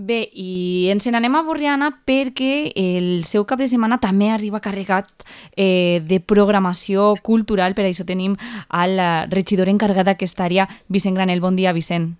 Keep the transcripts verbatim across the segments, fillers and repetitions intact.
Bé, i ens n'anem a Borriana perquè el seu cap de setmana també arriba carregat eh, de programació cultural, per això tenim al regidor encarregat d'aquesta àrea, Vicent Granel. Bon dia, Vicent.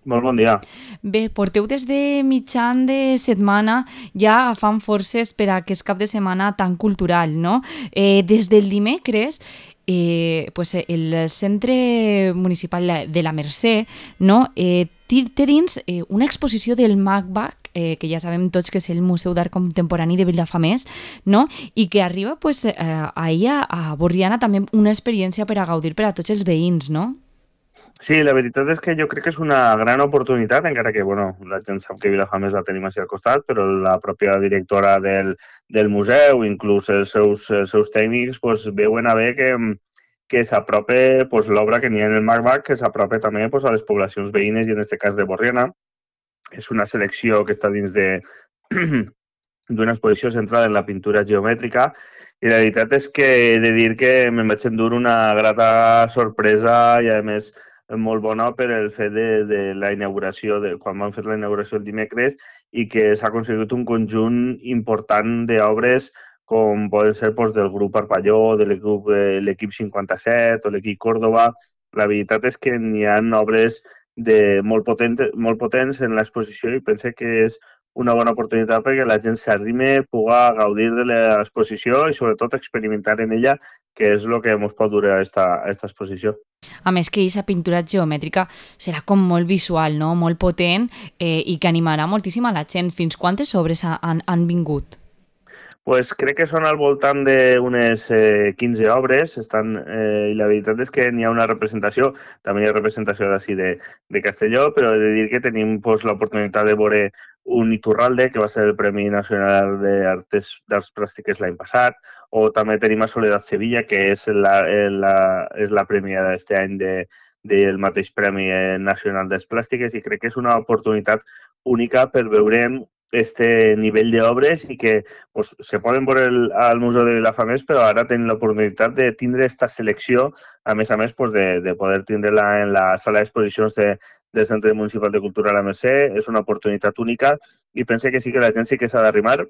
Molt bon dia. Bé, porteu des de mitjan de setmana ja agafant forces per a aquest cap de setmana tan cultural, no? Eh, des del dimecres, eh, pues el Centre Municipal de la Mercè, no? eh, té dins eh, una exposició del MACBAC, eh, que ja sabem tots que és el Museu d'Art Contemporani de Vilafamés, no? I que arriba pues, eh, ahir a, a Borriana també una experiència per a gaudir per a tots els veïns, no? Sí, la veritat és que jo crec que és una gran oportunitat, encara que bueno, la gent sap que Vilafamés la tenim així al costat, però la pròpia directora del, del museu, inclús els seus, els seus tècnics, pues, veuen a bé que, que s'apropa pues, l'obra que n'hi ha en el MACBAC, que s'apropa també pues, a les poblacions veïnes, i en aquest cas de Borriana. És una selecció que està dins de d'una exposició centrada en la pintura geomètrica, i la veritat és que he de dir que me'n vaig endur una grata sorpresa i, a més, molt bona per el fet de, de la inauguració, de, quan van fer la inauguració el dimecres, i que s'ha aconseguit un conjunt important d'obres com poden ser doncs, del grup Parpalló, de l'equip cinquanta-set o l'equip Córdoba. La veritat és que n'hi ha obres de molt, potents, molt potents en l'exposició, i pense que és una bona oportunitat perquè la gent s'arrime, puga gaudir de l'exposició i sobretot experimentar en ella, que és el que ens pot dur a esta, a esta exposició. A més que aquesta pintura geomètrica serà com molt visual, no? Molt potent eh, i que animarà moltíssim a la gent. Fins quantes obres han, han vingut? Pues crec que són al voltant d'unes eh, quinze obres, estan, eh, i la veritat és que n'hi ha una representació, també hi ha representació d'ací de, de Castelló, però he de dir que tenim pues, l'oportunitat de veure un Iturralde, que va ser el Premi Nacional d'Arts Plàstiques l'any passat, o també tenim a Soledad Sevilla, que és la, la, és la premiada d'aquest any de, del mateix Premi Nacional d'Arts Plàstiques, i crec que és una oportunitat única per veure este nivell d'obres i que pues, se poden veure el, al Museu de Vilafamés, però ara tenen l'oportunitat de tindre aquesta selecció, a més a més pues, de, de poder tindre-la en la sala d'exposicions de, del Centre Municipal de Cultura a la Mercè. És una oportunitat única i pense que sí que la gent sí que s'ha d'arrimar.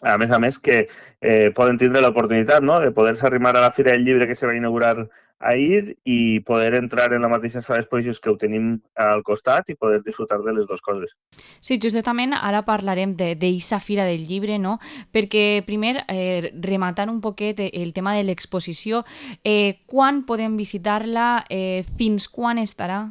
A més a més que eh, poden tindre l'oportunitat, no?, de poder-se arrimar a la Fira del Llibre que se va inaugurar ahir i poder entrar en la mateixa sala d'exposicions que ho tenim al costat i poder disfrutar de les dues coses. Sí, justament ara parlarem d'aquesta Fira del Llibre, no? Perquè primer, eh, rematant un poquet el tema de l'exposició, eh, quan podem visitar-la, eh, fins quan estarà?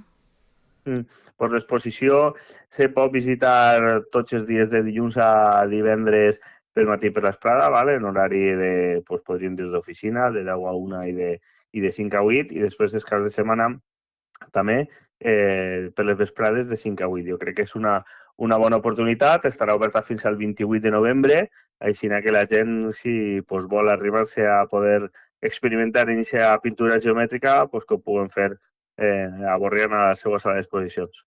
Mm. Pues l'exposició se pot visitar tots els dies de dilluns a divendres pel matí per l'esprada, ¿vale? En horari de, pues, podríem dir, d'oficina, de deu a una i de, i de cinc a vuit, i després dels caps de setmana també eh, per les vesprades de cinc a vuit. Jo crec que és una, una bona oportunitat, estarà oberta fins al vint-i-vuit de novembre, així que la gent, si pues, vol arribar-se a poder experimentar en aquesta pintura geomètrica, pues, que ho puguen fer eh, a Borriana a la seva sala d'exposicions.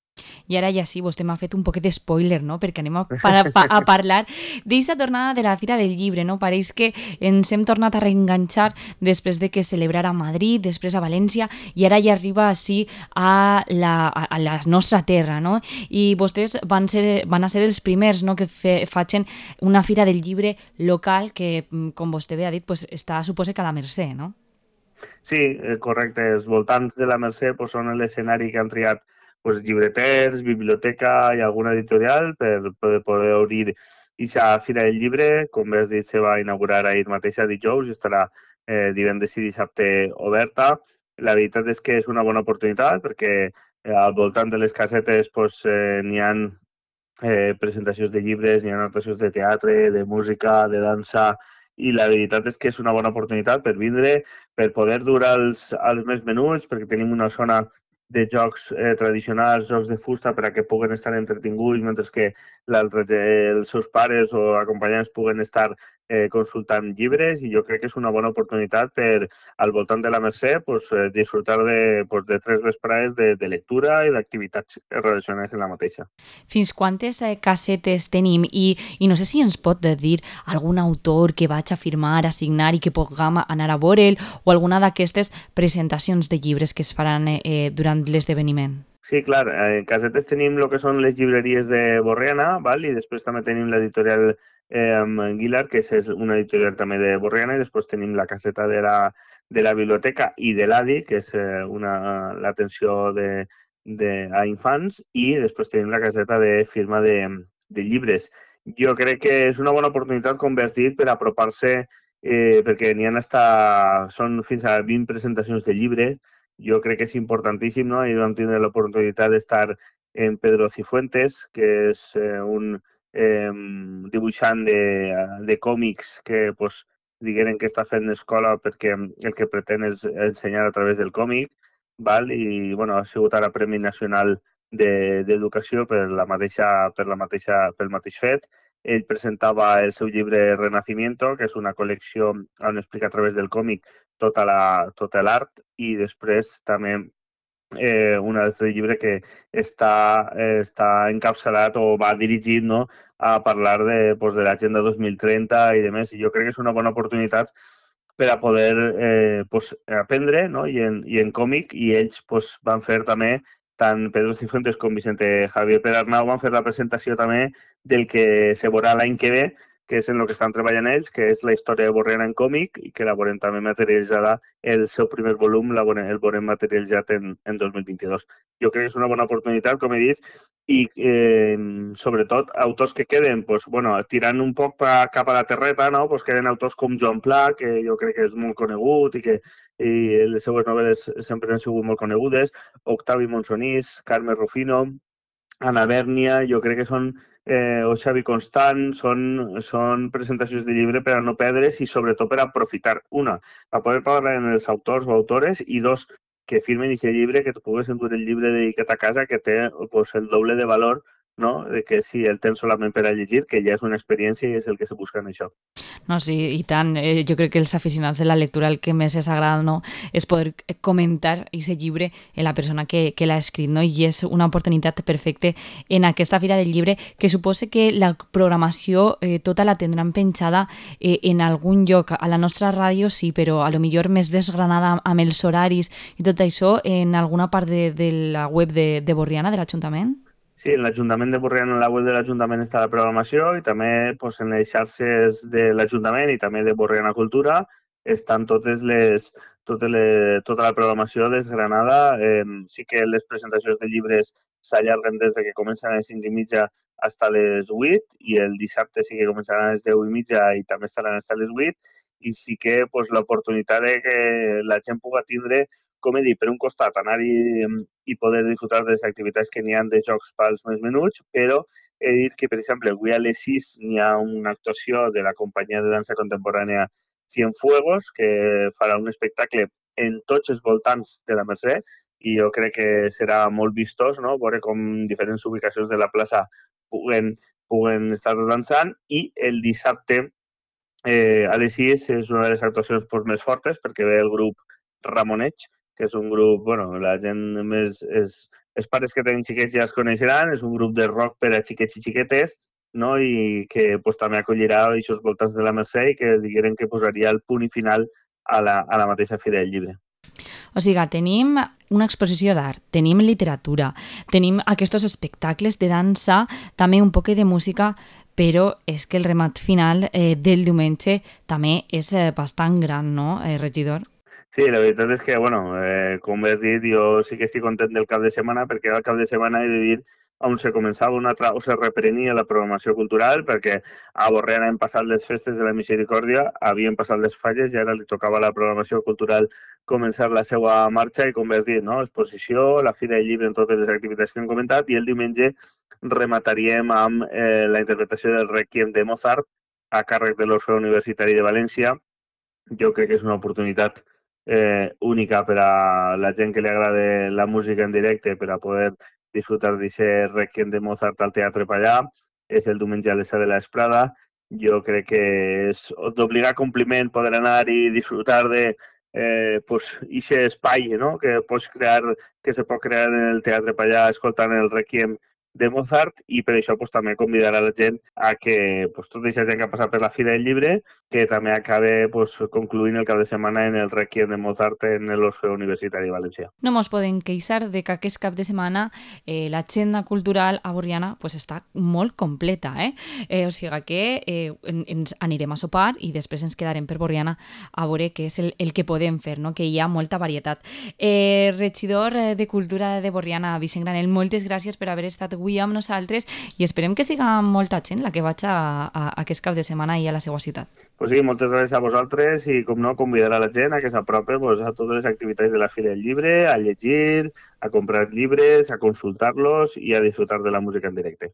I ara ja sí, vostè m'ha fet un poquet de spoiler, no? Perquè anem a, pa, pa, a parlar d'aquesta tornada de la Fira del Llibre, no? Pareix que ens hem tornat a reenganxar després de que celebrara a Madrid, després a València, i ara ja arriba així a la, a, a la nostra terra, no? I vostès van, ser, van a ser els primers, no?, que fe, facin una Fira del Llibre local que, com vostè bé ha dit, pues, està, suposa que a la Mercè, no? Sí, correcte. Els voltants de la Mercè pues, són l'escenari que han triat pues, llibreters, biblioteca i alguna editorial per poder, poder obrir aquesta Fira del Llibre. Com bé has dit, se va inaugurar ahir mateix a dijous i estarà eh, divendres i dissabte oberta. La veritat és que és una bona oportunitat perquè eh, al voltant de les casetes pues, eh, n'hi ha eh, presentacions de llibres, n'hi ha notacions de teatre, de música, de dansa, i la veritat és que és una bona oportunitat per vindre, per poder dur als, als més menuts, perquè tenim una zona de jocs eh, tradicionals, jocs de fusta, per a que puguen estar entretinguts, mentre que eh, els seus pares o acompanyants puguen estar eh, consultant llibres, i jo crec que és una bona oportunitat per, al voltant de la Mercè, pues, eh, disfrutar de, pues, de tres vesprades de, de lectura i d'activitats relacionades amb la mateixa. Fins quantes eh, casetes tenim? I, I no sé si ens pot dir algun autor que vaig a firmar, a signar i que puguem anar a veure'l, o alguna d'aquestes presentacions de llibres que es faran eh, durant l'esdeveniment. Sí, clar, en Casetes tenim el que són les llibreries de Borriana, val? I després també tenim l'editorial eh, Guilar, que és una editorial també de Borriana, i després tenim la caseta de la, de la biblioteca i de l'A D I, que és eh, una l'atenció de, de, a infants, i després tenim la caseta de firma de, de llibres. Jo crec que és una bona oportunitat, com bé has dit, per apropar-se, eh, perquè n'hi ha hasta, són fins a vint presentacions de llibre. Jo crec que és importantíssim, no? I vam tindre l'oportunitat d'estar en Pedro Cifuentes, que és eh, un eh, dibuixant de, de còmics que pues, digueren que està fent escola perquè el que pretén és ensenyar a través del còmic, val? I bueno, ha sigut ara Premi Nacional d'Educació de, per la mateixa, per la mateixa, pel mateix fet. Ell presentava el seu llibre Renacimiento, que és una col·lecció on explica a través del còmic tota la, tot l'art, i després també eh, un altre llibre que està, eh, està encapçalat o va dirigit, no?, a parlar de, pues, de l'Agenda dos mil trenta i demés. I jo crec que és una bona oportunitat per a poder eh, pues, aprendre, no?, i en, i en còmic, i ells pues, van fer també, tant Pedro Cifuentes com Vicente Javier Perarnau van fer la presentació també del que se veurà l'any que ve, que és en el que estan treballant ells, que és la història de Borriana en còmic, i que la veurem també materialitzada el seu primer volum, la veurem, el veurem materialitzat en, en dos mil vint-i-dos. Jo crec que és una bona oportunitat, com he dit, i eh, sobretot autors que queden, pues, bueno, tirant un poc pa, cap a la terreta, no? Pues queden autors com Joan Pla, que jo crec que és molt conegut i que i les seues novel·les sempre han sigut molt conegudes, Octavi Monsonís, Carme Rufino, Anna Bèrnia, jo crec que són, eh, o Xavi Constant, són, són presentacions de llibre per a no perdre's i sobretot per a aprofitar, una, a poder parlar amb els autors o autores, i dos, que firmen aquest llibre, que tu pugues endur el llibre dedicat a casa, que té pues, el doble de valor, no?, de que si el tens solament per a llegir, que ja és una experiència i és el que se busca en això. No, sí, i tant. Eh, jo crec que els aficionats de la lectura el que més és agrada, no?, és poder comentar aquest llibre en la persona que, que l'ha escrit, no? I és una oportunitat perfecta en aquesta Fira del Llibre, que suposa que la programació eh, tota la tindran penjada eh, en algun lloc. A la nostra ràdio sí, però a lo millor més desgranada amb els horaris i tot això en alguna part de, de la web de, de Borriana, de l'Ajuntament? Sí, en l'Ajuntament de Borriana, en la web de l'Ajuntament està la programació, i també pues, en les xarxes de l'Ajuntament i també de Borriana Cultura estan totes les, totes les, tota la programació desgranada. Eh, sí que les presentacions de llibres s'allarguen des de que comencen a les cinc i mitja fins a les vuit, i el dissabte sí que començaran a les deu i mitja i també estaran fins a les vuit, i sí que pues, l'oportunitat de que la gent pugui tindre, com he dit, per un costat, anar-hi i poder disfrutar de les activitats que n'hi ha de jocs pels més menuts, però he dit que, per exemple, avui a les sis n'hi ha una actuació de la companyia de dansa contemporània Cienfuegos, que farà un espectacle en tots els voltants de la Mercè, i jo crec que serà molt vistós, no?, veure com diferents ubicacions de la plaça puguen, puguen estar dansant. I el dissabte eh, a les sis és una de les actuacions pues, més fortes, perquè ve el grup Ramoneig, que és un grup, bueno, la gent més... És, els pares que tenen xiquets ja es coneixeran, és un grup de rock per a xiquets i xiquetes, no?, i que pues, també acollirà aquests voltants de la Mercè, i que digueren que posaria el punt i final a la, a la mateixa Fira del Llibre. O sigui, tenim una exposició d'art, tenim literatura, tenim aquests espectacles de dansa, també un poc de música, però és que el remat final eh, del diumenge també és eh, bastant gran, no, eh, regidor? Sí, la veritat és que, bueno, eh, com has dit, jo sí que estic content del cap de setmana, perquè al cap de setmana he de dir on se començava una altra, o se reprenia la programació cultural, perquè a Borriana hem passat les festes de la Misericòrdia, havien passat les falles, i ara li tocava a la programació cultural començar la seva marxa, i com has dit, no?, exposició, la Fira del Llibre en totes les activitats que hem comentat, i el diumenge remataríem amb eh, la interpretació del Requiem de Mozart a càrrec de l'Orfeó Universitari de València. Jo crec que és una oportunitat eh, única per a la gent que li agrada la música en directe, per a poder disfrutar d'aquest Requiem de Mozart al Teatre Pallà. És el diumenge a les set de la vesprada. Jo crec que és d'obligar compliment poder anar i disfrutar de eh, pues, aquest espai, no?, que pots crear, que se pot crear en el Teatre Pallà escoltant el Requiem de Mozart, i per això pues, també convidar a la gent a que pues, tota aquesta gent que ha passat per la Fira del Llibre, que també acabe pues, concluint el cap de setmana en el Requiem de Mozart en l'Orfeó Universitari Valencià. No mos podem queixar de que aquest cap de setmana eh, l'agenda cultural a Borriana pues, està molt completa. Eh? Eh, o sigui que eh, ens anirem a sopar i després ens quedarem per Borriana a veure què és el, el que podem fer, no? Que hi ha molta varietat. Eh, regidor de Cultura de Borriana, Vicent Granell, moltes gràcies per haver estat avui amb nosaltres i esperem que siga molta gent la que vaig a, a, a aquest cap de setmana i a la seva ciutat. Pues sí, moltes gràcies a vosaltres i, com no, convidar a la gent a que s'apropi pues, a totes les activitats de la Fira del Llibre, a llegir, a comprar llibres, a consultar-los i a disfrutar de la música en directe.